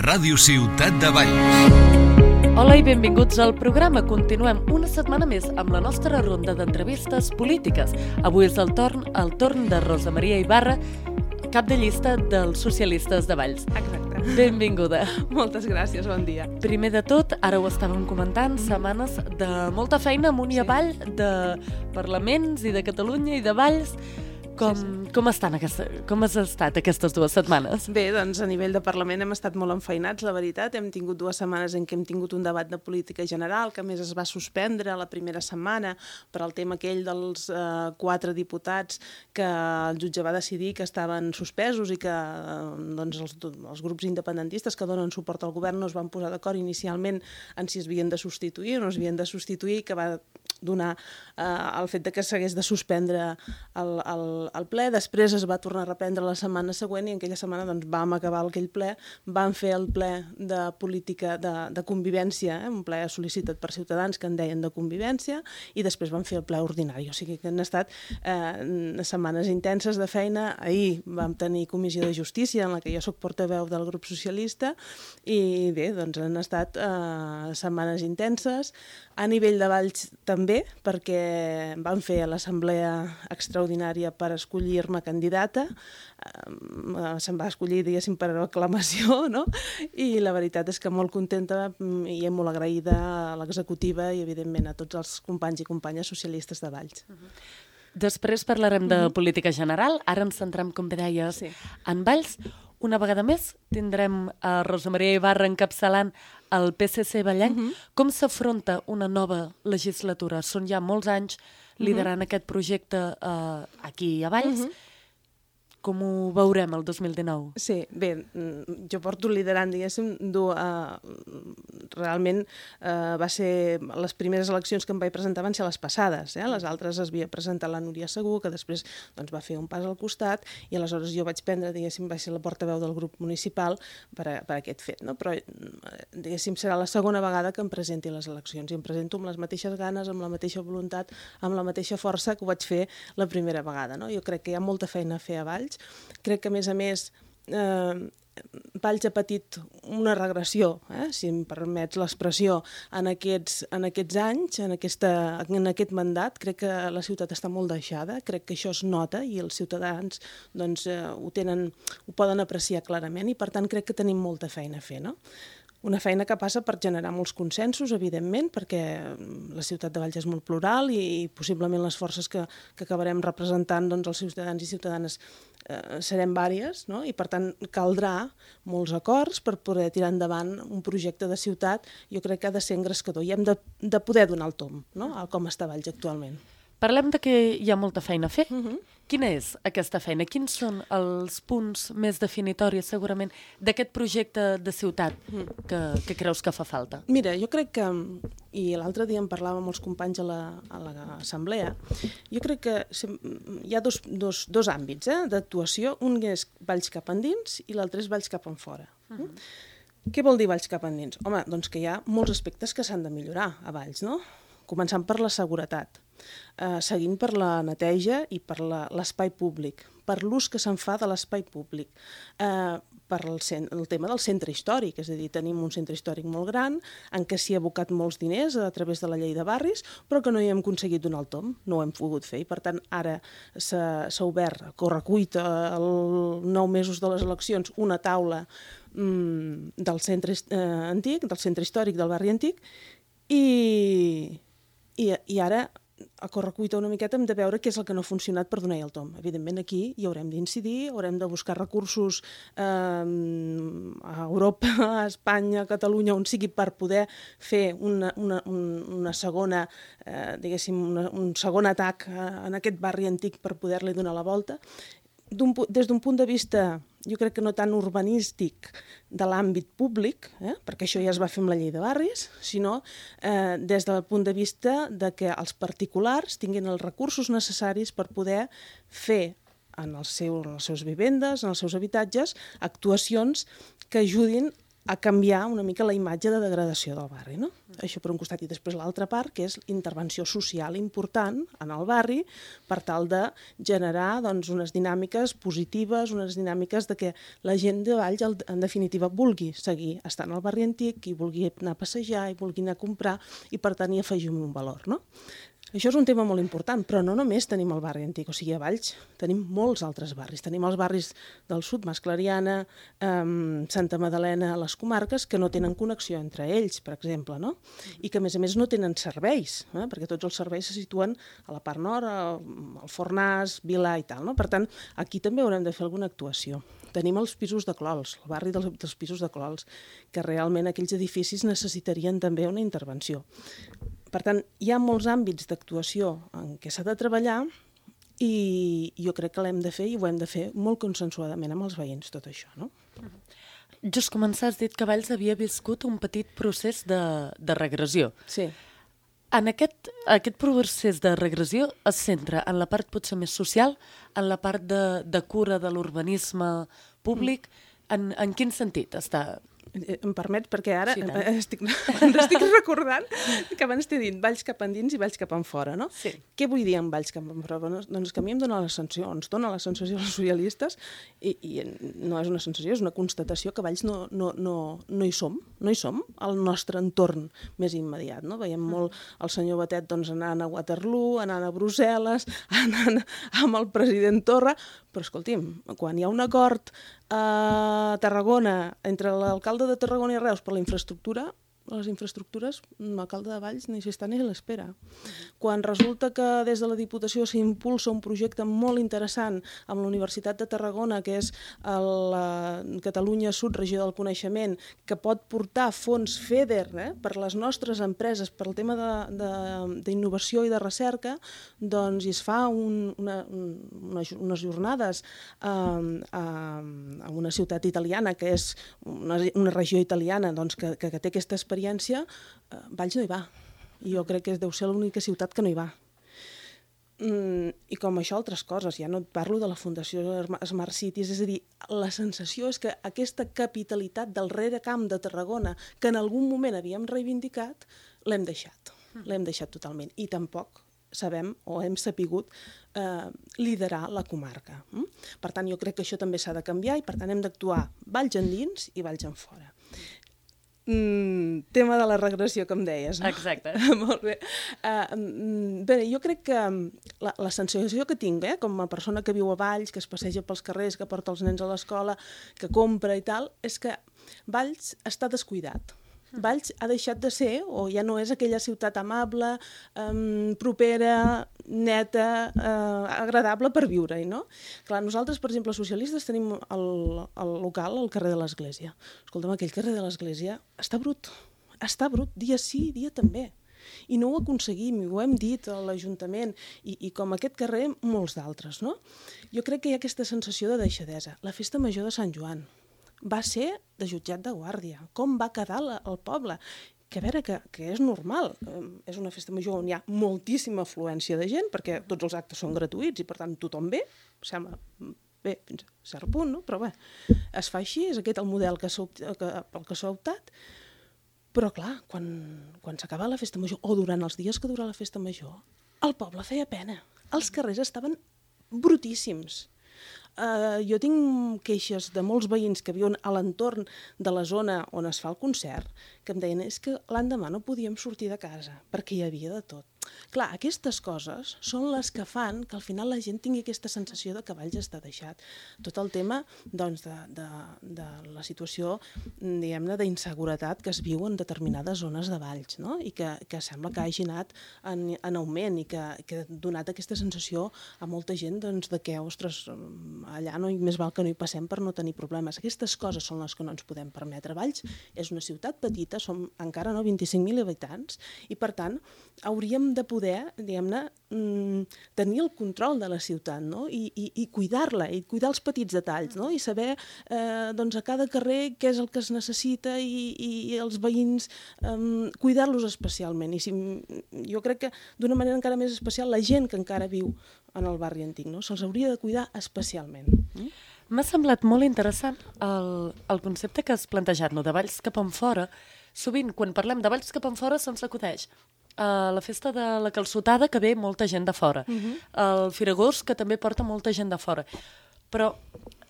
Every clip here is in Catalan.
Ràdio Ciutat de Valls. Hola i benvinguts al programa. Continuem una setmana més amb la nostra ronda d'entrevistes polítiques. Avui és el torn de Rosa Maria Ibarra, cap de llista dels socialistes de Valls. Exacte. Benvinguda. Moltes gràcies, bon dia. Primer de tot, ara ho estàvem comentant, setmanes de molta feina amunt i avall, de parlaments i de Catalunya i de Valls. Com has estat aquestes 2 setmanes? Bé, doncs a nivell de Parlament hem estat molt enfeinats, la veritat. Hem tingut 2 setmanes en què hem tingut un debat de política general, que a més es va suspendre la primera setmana per al tema aquell dels 4 diputats que el jutge va decidir que estaven suspesos i que doncs, els grups independentistes que donen suport al govern no es van posar d'acord inicialment en si es havien de substituir o no es havien de substituir, que va donar el fet de que s'hagués de suspendre el ple. Després es va tornar a reprendre la setmana següent i en aquella setmana doncs, vam acabar aquell ple, vam fer el ple de política de convivència, un ple sol·licitat per Ciutadans que en deien de convivència, i després vam fer el ple ordinari. O sigui que han estat setmanes intenses de feina. Ahir vam tenir comissió de justícia en la que jo soc portaveu del grup socialista i bé, doncs han estat setmanes intenses. A nivell de Valls també, perquè vam fer l'assemblea extraordinària per escollir-me candidata. Se'm va escollir, diguéssim, per aclamació, no? I la veritat és que molt contenta i molt agraïda a l'executiva i, evidentment, a tots els companys i companyes socialistes de Valls. Després parlarem de política general. Ara ens centrem, com bé deies, en Valls. Una vegada més tindrem a Rosa Maria Ibarra encapçalant el PSC vallenc. Com s'afronta una nova legislatura? Són ja molts anys liderant aquest projecte aquí a Valls. Com ho veurem el 2019? Sí, bé, jo porto liderant, diguéssim, realment va ser, les primeres eleccions que em vaig presentar van ser les passades, les altres es havia presentat la Núria Segú, que després doncs, va fer un pas al costat, i aleshores jo vaig prendre, diguéssim, vaig ser la portaveu del grup municipal per aquest fet, no? Però, diguéssim, serà la segona vegada que em presenti les eleccions, i em presento amb les mateixes ganes, amb la mateixa voluntat, amb la mateixa força que ho vaig fer la primera vegada, no? Jo crec que hi ha molta feina a fer a Valls. Crec que, a més, Valls ha patit una regressió, si em permets l'expressió, en aquests anys, en aquest mandat. Crec que la ciutat està molt deixada, crec que això es nota i els ciutadans doncs, ho poden apreciar clarament i, per tant, crec que tenim molta feina a fer, no? Una feina que passa per generar molts consensos, evidentment, perquè la ciutat de Valls és molt plural i possiblement les forces que acabarem representant doncs, els ciutadans i ciutadanes serem vàries, no? I per tant caldrà molts acords per poder tirar endavant un projecte de ciutat. Jo crec que ha de ser engrescador i hem de poder donar el tomb, no? A com està Valls actualment. Parlem de que hi ha molta feina a fer. Quina és aquesta feina? Quins són els punts més definitoris, segurament, d'aquest projecte de ciutat que creus que fa falta? Mira, jo crec que, i l'altre dia en parlava amb els companys a l'assemblea, jo crec que hi ha dos àmbits d'actuació. Un és Valls cap endins i l'altre és Valls cap enfora. Què vol dir Valls cap endins? Home, doncs que hi ha molts aspectes que s'han de millorar a Valls, no? Començant per la seguretat, seguint per la neteja i per l'espai públic, per l'ús que se'n fa de l'espai públic, per el tema del centre històric, és a dir, tenim un centre històric molt gran en què s'hi ha abocat molts diners a través de la llei de barris, però que no hi hem aconseguit donar el tomb, no ho hem pogut fer, i per tant ara s'ha obert a correcuita els 9 mesos de les eleccions una taula del centre antic, del centre històric del barri antic, i ara a correcuita una miqueta hem de veure què és el que no ha funcionat per donar-hi el tomb. Evidentment aquí hi haurem d'incidir, haurem de buscar recursos a Europa, a Espanya, a Catalunya, on sigui per poder fer una segona, diguéssim, un segon atac en aquest barri antic per poder-li donar la volta. Des d'un punt de vista, jo crec que no tant urbanístic de l'àmbit públic, perquè això ja es va fer amb la llei de barris, sinó des del punt de vista de que els particulars tinguin els recursos necessaris per poder fer en les seves vivendes, en els seus habitatges, actuacions que ajudin a canviar una mica la imatge de degradació del barri, no? Això per un costat. I després l'altra part, que és intervenció social important en el barri per tal de generar doncs, unes dinàmiques positives, unes dinàmiques de que la gent de Valls, en definitiva, vulgui seguir estant al barri antic, i vulgui anar a passejar, i vulgui anar a comprar, i per tant hi afegim un valor, no? Això és un tema molt important, però no només tenim el barri antic, o sigui, a Valls tenim molts altres barris. Tenim els barris del sud, Mas Clariana, Santa Madalena, les comarques, que no tenen connexió entre ells, per exemple, no? I que, a més no tenen serveis, perquè tots els serveis se situen a la part nord, al Fornàs, Vilà i tal, no? Per tant, aquí també haurem de fer alguna actuació. Tenim els pisos de Clols, el barri dels pisos de Clols, que realment aquells edificis necessitarien també una intervenció. Per tant, hi ha molts àmbits d'actuació en què s'ha de treballar i jo crec que l'hem de fer i ho hem de fer molt consensuadament amb els veïns, tot això, no? Just començar, has dit que Valls havia viscut un petit procés de regressió. Sí. En aquest procés de regressió es centra en la part potser més social, en la part de cura de l'urbanisme públic. En quin sentit està? Em permets, perquè ara Sí, estic recordant que abans t'he dit Valls cap endins i Valls cap enfora, no? Sí. Què vull dir amb Valls cap enfora? Doncs que a mi em dona la sensació, ens dona la sensació als socialistes, i no és una sensació, és una constatació que Valls no hi som, al nostre entorn més immediat, no? Veiem molt el senyor Batet doncs, anant a Waterloo, anant a Brussel·les, anant amb el president Torra, però escolti'm, quan hi ha un acord a Tarragona entre l'alcalde de Tarragona i Reus per la infraestructura, les infraestructures, l'alcalde de Valls ni s'hi està ni a l'espera. Quan resulta que des de la Diputació s'impulsa un projecte molt interessant amb la Universitat de Tarragona, que és la Catalunya Sud, Regió del Coneixement, que pot portar fons FEDER per les nostres empreses, per el tema d'innovació i de recerca, doncs es fa unes jornades a una ciutat italiana, que és una regió italiana que té aquesta experiència. Valls no hi va. I jo crec que deu ser l'única ciutat que no hi va. I com això altres coses, ja no et parlo de la Fundació Smart Cities, és a dir, la sensació és que aquesta capitalitat del reracamp de Tarragona, que en algun moment havíem reivindicat, l'hem deixat totalment. I tampoc sabem o hem sapigut liderar la comarca. Per tant, jo crec que això també s'ha de canviar i per tant hem d'actuar Valls endins i Valls enfora. Tema de la regressió, que em deies, no? Exacte. Molt bé. Bé, jo crec que la sensació que tinc, com a persona que viu a Valls, que es passeja pels carrers, que porta els nens a l'escola, que compra i tal, és que Valls està descuidat. Valls ha deixat de ser, o ja no és aquella ciutat amable, propera, neta, agradable per viure-hi, no? Clar, nosaltres, per exemple, socialistes, tenim el local al carrer de l'Església. Escolta'm, aquell carrer de l'Església està brut, dia sí, dia també. I no ho aconseguim, i ho hem dit a l'Ajuntament, i com aquest carrer, molts d'altres, no? Jo crec que hi ha aquesta sensació de deixadesa. La festa major de Sant Joan va ser de jutjat de guàrdia. Com va quedar el poble? Que a veure, que és normal. És una festa major on hi ha moltíssima afluència de gent, perquè tots els actes són gratuïts i per tant tothom ve, sembla bé fins a cert punt, no? Però bé, es fa així, és aquest el model pel que s'ha optat. Però clar, quan s'acaba la festa major, o durant els dies que dura la festa major, el poble feia pena. Els carrers estaven brutíssims. Jo tinc queixes de molts veïns que viuen a l'entorn de la zona on es fa el concert, que em deien és que l'endemà no podíem sortir de casa, perquè hi havia de tot. Clar, aquestes coses són les que fan que al final la gent tingui aquesta sensació de que Valls està deixat. Tot el tema doncs, de la situació, diguem-ne, d'inseguretat que es viu en determinades zones de Valls, no? I que sembla que hagi anat en augment i que ha donat aquesta sensació a molta gent doncs, de que, ostres, allà més val que no hi passem per no tenir problemes. Aquestes coses són les que no ens podem permetre. Valls és una ciutat petita, som encara 25.000 habitants i, per tant, hauríem de poder, diguem-ne, tenir el control de la ciutat, no? I cuidar-la, i cuidar els petits detalls, no? I saber doncs, a cada carrer què és el que es necessita i els veïns cuidar-los especialment. I jo crec que d'una manera encara més especial la gent que encara viu en el barri antic, no? Se'ls hauria de cuidar especialment. M'ha semblat molt interessant el concepte que has plantejat, no? De Valls cap enfora. Sovint, quan parlem de Valls cap enfora, se'ns acudeix la festa de la calçotada, que ve molta gent de fora. El Firagós, que també porta molta gent de fora. Però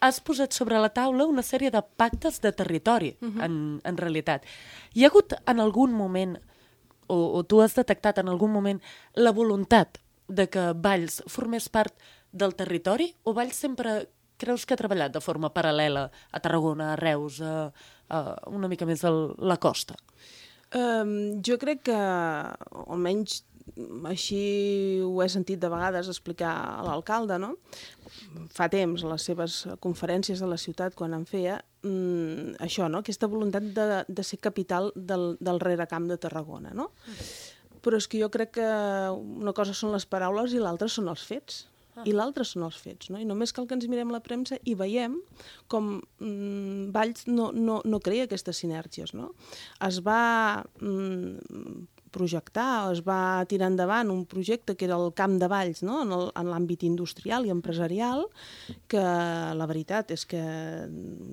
has posat sobre la taula una sèrie de pactes de territori, en realitat. Hi ha hagut en algun moment, o tu has detectat en algun moment, la voluntat de que Valls formés part del territori, o Valls sempre creus que ha treballat de forma paral·lela a Tarragona, a Reus, una mica més a la costa? Jo crec que, almenys així ho he sentit de vegades explicar a l'alcalde, no? Fa temps, a les seves conferències de la ciutat, quan en feia, això, no? Aquesta voluntat de ser capital del rerecamp de Tarragona, no? Però és que jo crec que una cosa són les paraules i l'altra són els fets. I l'altre són els fets, no? I només cal que ens mirem la premsa i veiem com Valls no crea aquestes sinergies, no? Es va projectar, es va tirar endavant un projecte que era el Camp de Valls, no? En l'àmbit industrial i empresarial, que la veritat és que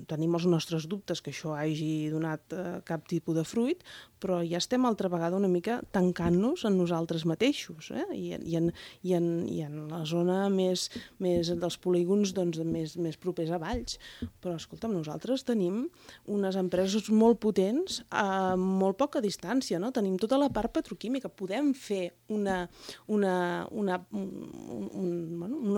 tenim els nostres dubtes que això hagi donat cap tipus de fruit, però ja estem altra vegada una mica tancant-nos en nosaltres mateixos, i en la zona més dels polígons més propers a Valls. Però, escolta'm, nosaltres tenim unes empreses molt potents a molt poca distància, no? Tenim tota la part petroquímica. Podem fer una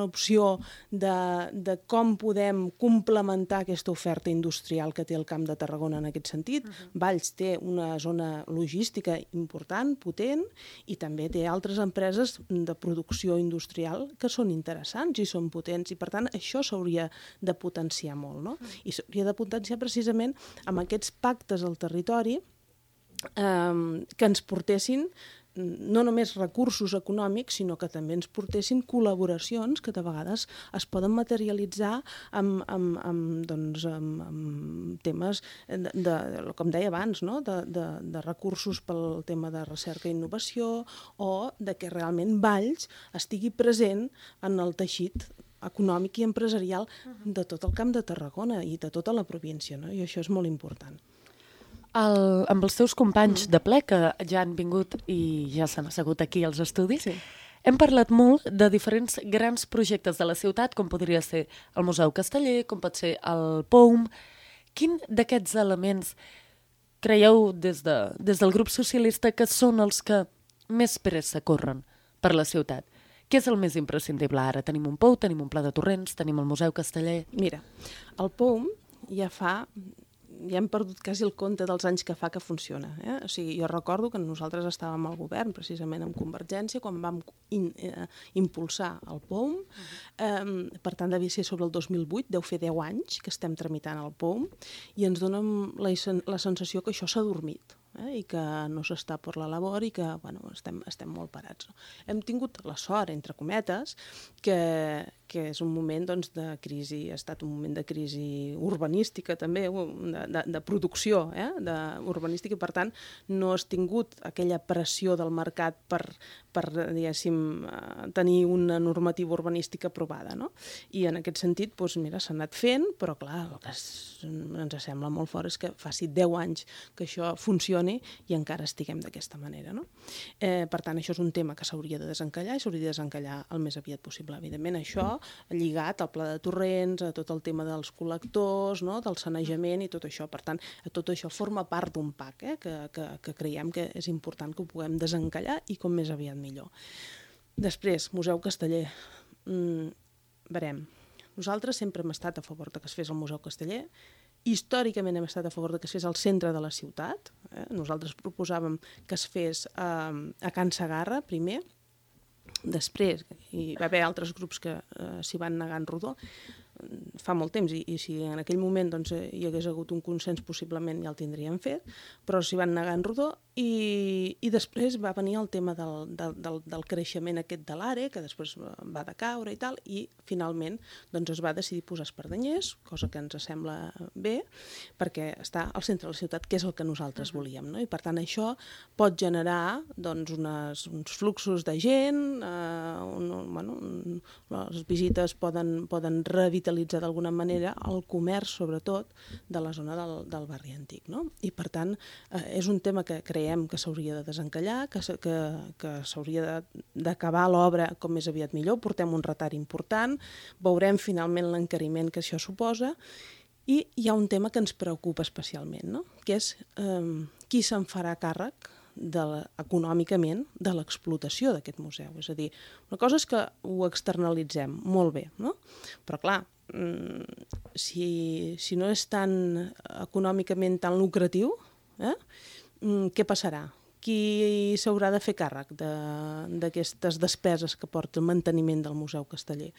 opció de com podem complementar aquesta oferta industrial que té el Camp de Tarragona en aquest sentit. Valls té una zona logística important, potent, i també té altres empreses de producció industrial que són interessants i són potents, i per tant això s'hauria de potenciar molt, no? I s'hauria de potenciar precisament amb aquests pactes al territori que ens portessin no només recursos econòmics, sinó que també ens portessin col·laboracions que de vegades es poden materialitzar amb temes, com deia abans, no? de recursos pel tema de recerca i innovació, o de que realment Valls estigui present en el teixit econòmic i empresarial de tot el Camp de Tarragona i de tota la província, no? I això és molt important. Amb els teus companys de ple, que ja han vingut i ja s'han assegut aquí als estudis, hem parlat molt de diferents grans projectes de la ciutat, com podria ser el Museu Casteller, com pot ser el POUM. Quin d'aquests elements creieu des del grup socialista que són els que més pressa corren per la ciutat? Què és el més imprescindible ara? Tenim un POU, tenim un pla de torrents, tenim el Museu Casteller... Mira, el POUM ja hem perdut quasi el compte dels anys que fa que funciona. O sigui, jo recordo que nosaltres estàvem al govern, precisament amb Convergència, quan vam impulsar el POUM. Per tant, devia ser sobre el 2008, deu fer 10 anys que estem tramitant el POUM, i ens dona la sensació que això s'ha dormit, i que no s'està per la labor i que estem molt parats. Hem tingut la sort, entre cometes, que és un moment de crisi, ha estat un moment de crisi urbanística també, de producció urbanística, i per tant no has tingut aquella pressió del mercat per diguéssim, tenir una normativa urbanística aprovada, no? I en aquest sentit, mira, s'ha anat fent, però clar, el que ens sembla molt fort és que faci 10 anys que això funcioni i encara estiguem d'aquesta manera, no? Per tant, això és un tema que s'hauria de desencallar i s'hauria de desencallar el més aviat possible. Evidentment, això lligat al pla de torrents, a tot el tema dels col·lectors, no? Del sanejament i tot això. Per tant, tot això forma part d'un pack que creiem que és important que ho puguem desencallar i com més aviat millor. Després, Museu Casteller. Veurem. Nosaltres sempre hem estat a favor de que es fes el Museu Casteller. Històricament hem estat a favor de que es fes al centre de la ciutat. Nosaltres proposàvem que es fes a Can Segarra, primer. Després hi va haver altres grups que s'hi van negar en rodó fa molt temps, i si en aquell moment hi hagués hagut un consens possiblement ja el tindríem fet, però s'hi van negar en rodó. I després va venir el tema del creixement aquest de l'ARE, que després va decaure i tal, i finalment doncs, es va decidir posar Espardenyers, cosa que ens sembla bé, perquè està al centre de la ciutat, que és el que nosaltres volíem, no? I per tant això pot generar doncs, uns fluxos de gent, les visites poden revitalitzar d'alguna manera el comerç, sobretot, de la zona del barri antic, no? I per tant és un tema que creiem que s'hauria de desencallar, que s'hauria d'acabar l'obra com més aviat millor, portem un retard important, veurem finalment l'encariment que això suposa, i hi ha un tema que ens preocupa especialment, no? Que és qui se'n farà càrrec econòmicament de l'explotació d'aquest museu. És a dir, una cosa és que ho externalitzem, molt bé, no? Però clar, si no és tan econòmicament tan lucratiu, què passarà? Qui s'haurà de fer càrrec d'aquestes despeses que porta el manteniment del Museu Casteller?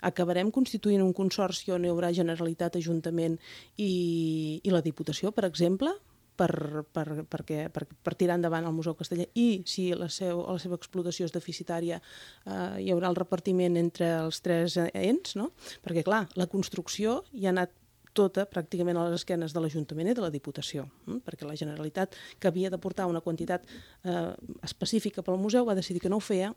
Acabarem constituint un consorci on hi haurà Generalitat, Ajuntament i la Diputació, per exemple, per tirar endavant el Museu Casteller, i si la seva explotació és deficitària hi haurà el repartiment entre els tres ens, no? Perquè clar, la construcció hi ha anat tota pràcticament a les esquenes de l'Ajuntament i de la Diputació, perquè la Generalitat, que havia d'aportar una quantitat específica pel museu, va decidir que no ho feia,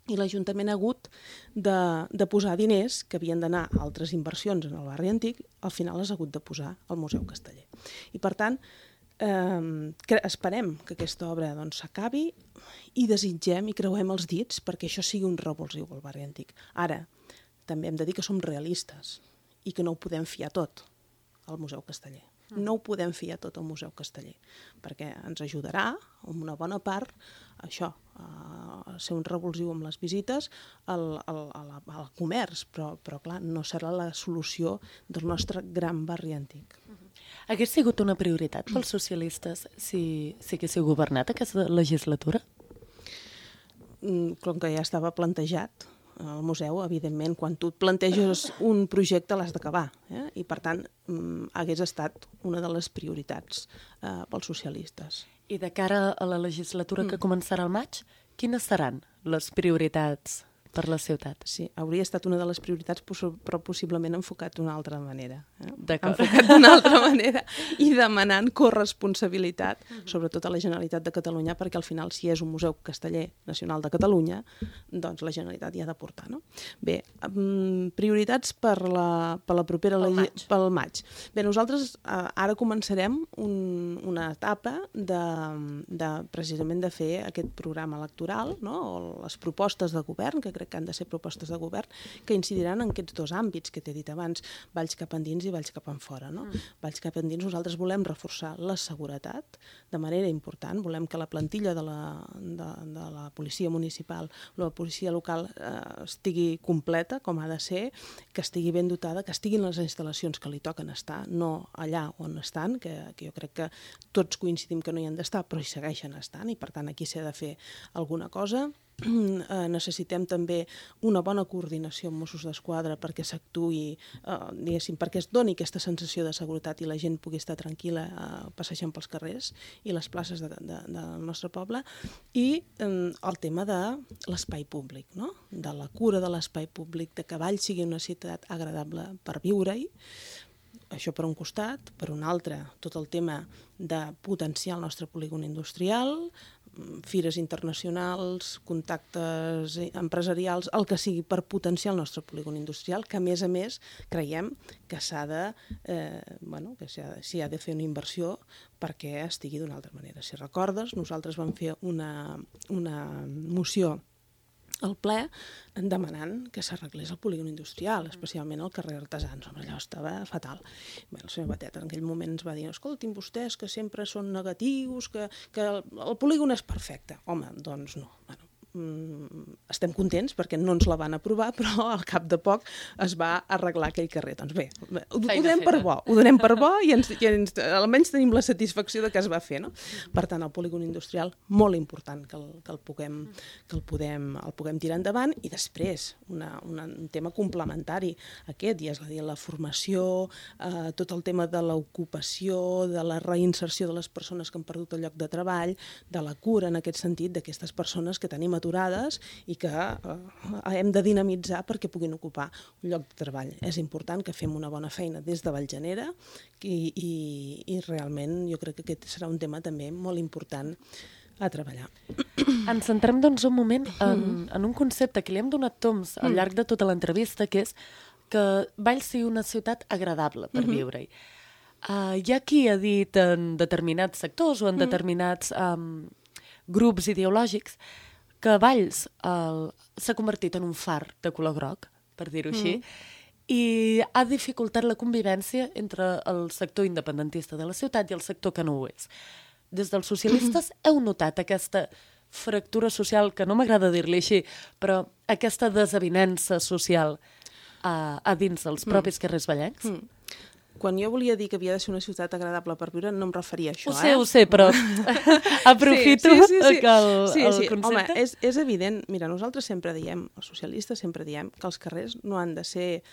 i l'Ajuntament ha hagut de posar diners que havien d'anar a altres inversions en el barri antic, al final has hagut de posar al Museu Casteller. I per tant, esperem que aquesta obra s'acabi i desitgem i creuem els dits perquè això sigui un revulsiu al barri antic. Ara, també hem de dir que som realistes i que no ho podem fiar tot al Museu Casteller. No ho podem fiar tot al Museu Casteller, perquè ens ajudarà, en una bona part, això, a ser un revulsiu amb les visites al comerç, però clar, no serà la solució del nostre gran barri antic. Hagués sigut una prioritat pels socialistes si haguéssiu governat aquesta legislatura? Com que ja estava plantejat, el museu, evidentment, quan tu et planteges un projecte l'has d'acabar, i per tant hagués estat una de les prioritats pels socialistes. I de cara a la legislatura que començarà al maig, quines seran les prioritats per la ciutat? Sí, hauria estat una de les prioritats, però possiblement enfocat d'una altra manera. D'acord. Enfocat d'una altra manera i demanant corresponsabilitat, sobretot a la Generalitat de Catalunya, perquè al final, si és un museu casteller nacional de Catalunya, doncs la Generalitat hi ha d'aportar, no? Bé, prioritats per la propera... Pel maig. Bé, nosaltres ara començarem una etapa precisament de fer aquest programa electoral, no? O les propostes de govern, que crec que han de ser propostes de govern, que incidiran en aquests dos àmbits que t'he dit abans, valls cap endins i valls cap enfora, no? Valls cap endins, nosaltres volem reforçar la seguretat de manera important, volem que la plantilla de la policia municipal, la policia local estigui completa, com ha de ser, que estigui ben dotada, que estiguin les instal·lacions que li toquen estar, no allà on estan, que jo crec que tots coincidim que no hi han d'estar, però hi segueixen estant, i per tant aquí s'ha de fer alguna cosa. Necessitem també una bona coordinació amb Mossos d'Esquadra perquè s'actuï, diguéssim, perquè es doni aquesta sensació de seguretat i la gent pugui estar tranquil·la passejant pels carrers i les places del nostre poble, i el tema de l'espai públic, no? De la cura de l'espai públic, de que Valls sigui una ciutat agradable per viure-hi. Això per un costat. Per un altre, tot el tema de potenciar el nostre polígon industrial, fires internacionals, contactes empresarials, el que sigui per potenciar el nostre polígon industrial, que a més creiem que s'hi ha de fer una inversió perquè estigui d'una altra manera. Si recordes, nosaltres vam fer una moció al ple demanant que s'arreglés el polígon industrial, especialment al carrer Artesans. Allò estava fatal. Bé, el senyor Batet en aquell moment ens va dir: escoltin, vostès que sempre són negatius, que el polígon és perfecte. Home, doncs no. Bueno, estem contents perquè no ens la van aprovar, però al cap de poc es va arreglar aquell carrer. Doncs bé, ho donem per bo i almenys tenim la satisfacció de que es va fer, no? Per tant, el polígon industrial, molt important que el puguem tirar endavant, i després un tema complementari a aquest, i és a dir, la formació, tot el tema de l'ocupació, de la reinserció de les persones que han perdut el lloc de treball, de la cura en aquest sentit d'aquestes persones que tenim aturades i que hem de dinamitzar perquè puguin ocupar un lloc de treball. És important que fem una bona feina des de Vallgenera i realment jo crec que aquest serà un tema també molt important a treballar. Ens centrem doncs un moment en un concepte que li hem donat toms al llarg de tota l'entrevista, que és que Valls sigui una ciutat agradable per viure-hi. Hi ha qui ha dit en determinats sectors o en determinats grups ideològics que Valls s'ha convertit en un far de color groc, per dir-ho així, i ha dificultat la convivència entre el sector independentista de la ciutat i el sector que no ho és. Des dels socialistes heu notat aquesta fractura social, que no m'agrada dir-li així, però aquesta desavinença social a dins dels propis carrers vallencs? Quan jo volia dir que havia de ser una ciutat agradable per viure, no em referia a això. Ho sé, però aprofito que el concepte... Home, és evident. Mira, nosaltres sempre diem, els socialistes sempre diem, que els carrers no han de ser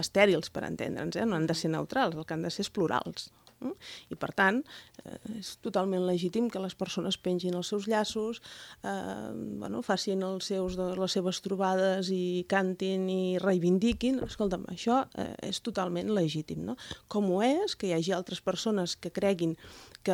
estèrils, per entendre'ns, no han de ser neutrals, el que han de ser és plurals. I per tant, és totalment legítim que les persones pengin els seus llaços, facin les seves trobades i cantin i reivindiquin. Escolta'm, això és totalment legítim, no? Com ho és que hi hagi altres persones que creguin que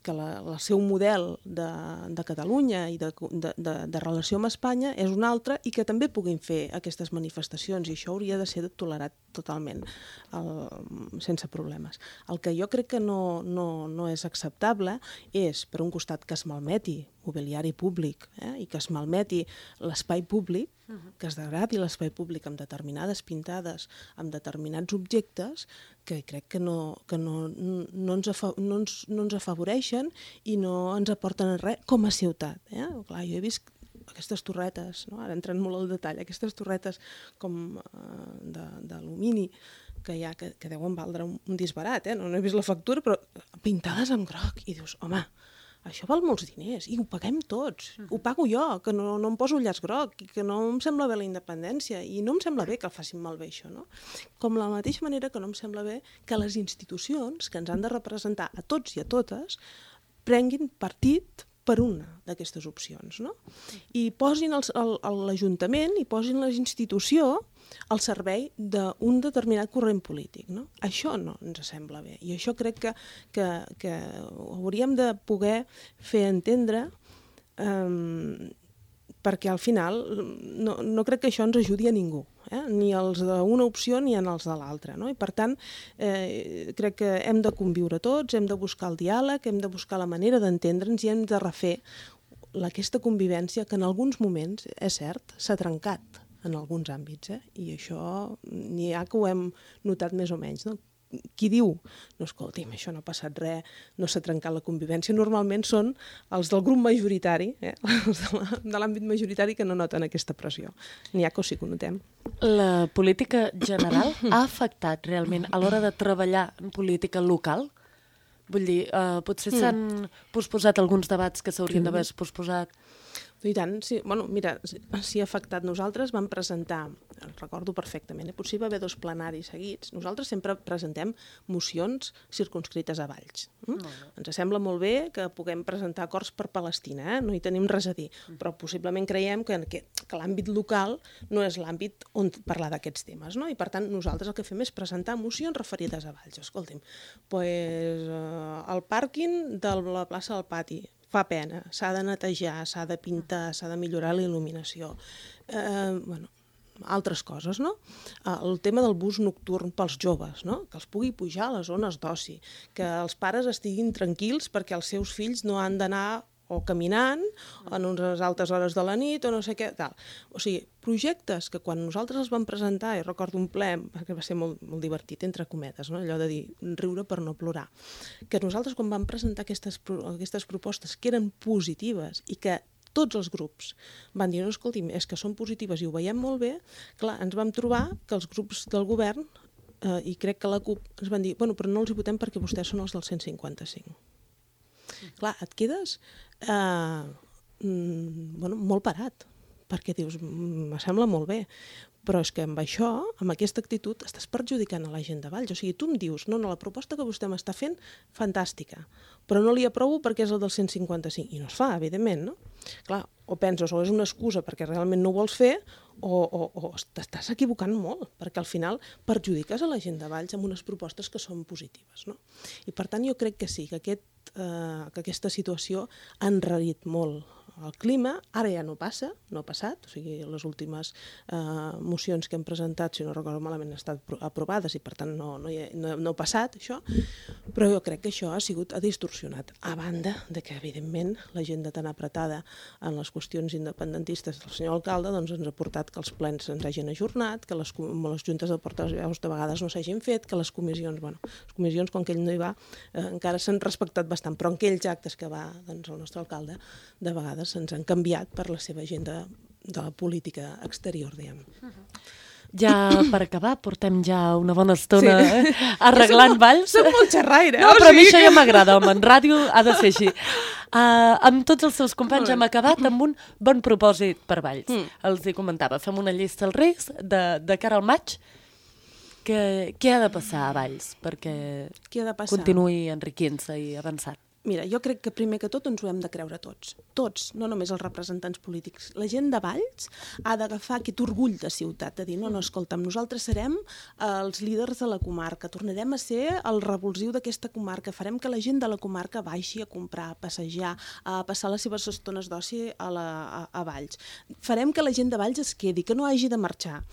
el seu model de Catalunya i de relació amb Espanya és un altre i que també puguin fer aquestes manifestacions, i això hauria de ser tolerat totalment, sense problemes. El que jo crec que no és acceptable és, per un costat, que es malmeti mobiliari públic i que es malmeti l'espai públic, que es degradi l'espai públic amb determinades pintades, amb determinats objectes que crec que no ens afavoreixen i no ens aporten res com a ciutat. Clar, jo he vist aquestes torretes, no? Ara entrant molt al detall, aquestes torretes com d'alumini que hi ha, que deuen valdre un disbarat, no he vist la factura, però pintades amb groc, i dius, home, això val molts diners, i ho paguem tots. Ho pago jo, que no em poso el llaç groc, i que no em sembla bé la independència, i no em sembla bé que el facin malbé, això, no? Com de la mateixa manera que no em sembla bé que les institucions, que ens han de representar a tots i a totes, prenguin partit per una d'aquestes opcions, no? I posin l'Ajuntament i posin la institució al servei d'un determinat corrent polític, no? Això no ens sembla bé, i això crec que hauríem de poder fer entendre, perquè al final no crec que això ens ajudi a ningú, ni els d'una opció ni els de l'altra, no? I per tant, crec que hem de conviure tots, hem de buscar el diàleg, hem de buscar la manera d'entendre'ns i hem de refer aquesta convivència que en alguns moments, és cert, s'ha trencat en alguns àmbits, i això n'hi ha que ho hem notat més o menys, no? Qui diu, no, escolti'm, això no ha passat res, no s'ha trencat la convivència, normalment són els del grup majoritari, els de l'àmbit majoritari que no noten aquesta pressió. N'hi ha que sí que ho notem. La política general ha afectat realment a l'hora de treballar en política local? Vull dir, potser s'han posposat alguns debats que s'haurien d'haver posposat. I tant, sí. Bueno, mira, si ha afectat, nosaltres vam presentar, recordo perfectament, potser va haver 2 plenaris seguits, nosaltres sempre presentem mocions circunscrites a Valls. Ens sembla molt bé que puguem presentar acords per Palestina, no hi tenim res a dir, però possiblement creiem que l'àmbit local no és l'àmbit on parlar d'aquests temes, no? I per tant nosaltres el que fem és presentar mocions referides a Valls. Escolti'm, el pàrquing de la plaça del Pati, fa pena, s'ha de netejar, s'ha de pintar, s'ha de millorar la il·luminació. Altres coses, no? El tema del bus nocturn pels joves, no? Que els pugui pujar a les zones d'oci, que els pares estiguin tranquils perquè els seus fills no han d'anar o caminant, en unes altes hores de la nit, o no sé què, tal. O sigui, projectes que quan nosaltres els vam presentar, i recordo un ple, perquè va ser molt divertit, entre cometes, no? Allò de dir, riure per no plorar, que nosaltres quan vam presentar aquestes propostes que eren positives i que tots els grups van dir, no, escolti'm, és que són positives i ho veiem molt bé, clar, ens vam trobar que els grups del govern, i crec que la CUP, ens van dir, bueno, però no els hi votem perquè vostès són els del 155. Clar, et quedes molt parat, perquè dius, me sembla molt bé, però és que amb això, amb aquesta actitud, estàs perjudicant a la gent de Valls. O sigui, tu em dius, no, la proposta que vostè m'està fent, fantàstica, però no li aprovo perquè és el del 155. I no es fa, evidentment, no? Clar, o penses, o és una excusa perquè realment no ho vols fer, o t'estàs equivocant molt, perquè al final perjudiques a la gent de Valls amb unes propostes que són positives, no? I per tant jo crec que sí, que aquesta situació ha enrarit molt el clima, ara ja no passa, no ha passat, o sigui, les últimes mocions que hem presentat, si no recordo malament, han estat aprovades i per tant no ha passat això, però jo crec que això ha distorsionat, a banda de que evidentment la gent de tan apretada en les qüestions independentistes del senyor alcalde doncs ens ha portat que els plens ens hagin ajornat, que les juntes de portaveus de vegades no s'hagin fet, que les comissions, quan que ell no hi va, encara s'han respectat bastant, però en aquells actes que va el nostre alcalde, de vegades se'ns han canviat per la seva agenda de la política exterior, diguem. Ja per acabar, portem ja una bona estona arreglant Valls. Soc molt xerraire. No, però a mi això ja m'agrada, home, en ràdio ha de ser així. Amb tots els seus companys hem acabat amb un bon propòsit per Valls. Els hi comentava, fem una llista als Reis de cara al maig. Què ha de passar a Valls perquè continuï enriquint-se i avançant? Mira, jo crec que primer que tot ens ho hem de creure tots. Tots, no només els representants polítics. La gent de Valls ha d'agafar aquest orgull de ciutat, de dir, no, escolta'm, nosaltres serem els líders de la comarca, tornarem a ser el revulsiu d'aquesta comarca, farem que la gent de la comarca baixi a comprar, a passejar, a passar les seves estones d'oci a Valls. Farem que la gent de Valls es quedi, que no hagi de marxar.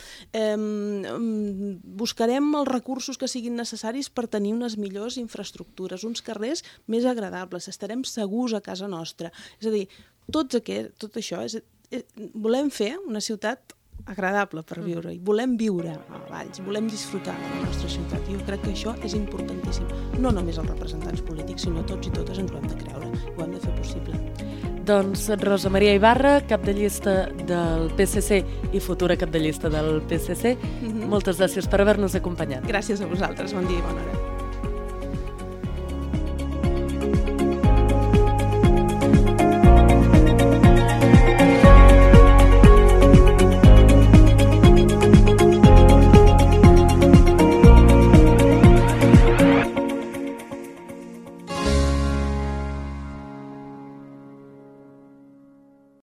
Buscarem els recursos que siguin necessaris per tenir unes millors infraestructures, uns carrers més agradables, estarem segurs a casa nostra. És a dir, tot això, volem fer una ciutat agradable per viure, i volem viure a Valls, volem disfrutar de la nostra ciutat, i jo crec que això és importantíssim. No només els representants polítics, sinó tots i totes ens ho hem de creure, ho hem de fer possible. Doncs Rosa Maria Ibarra, cap de llista del PSC i futura cap de llista del PSC, moltes gràcies per haver-nos acompanyat. Gràcies a vosaltres, bon dia i bona hora.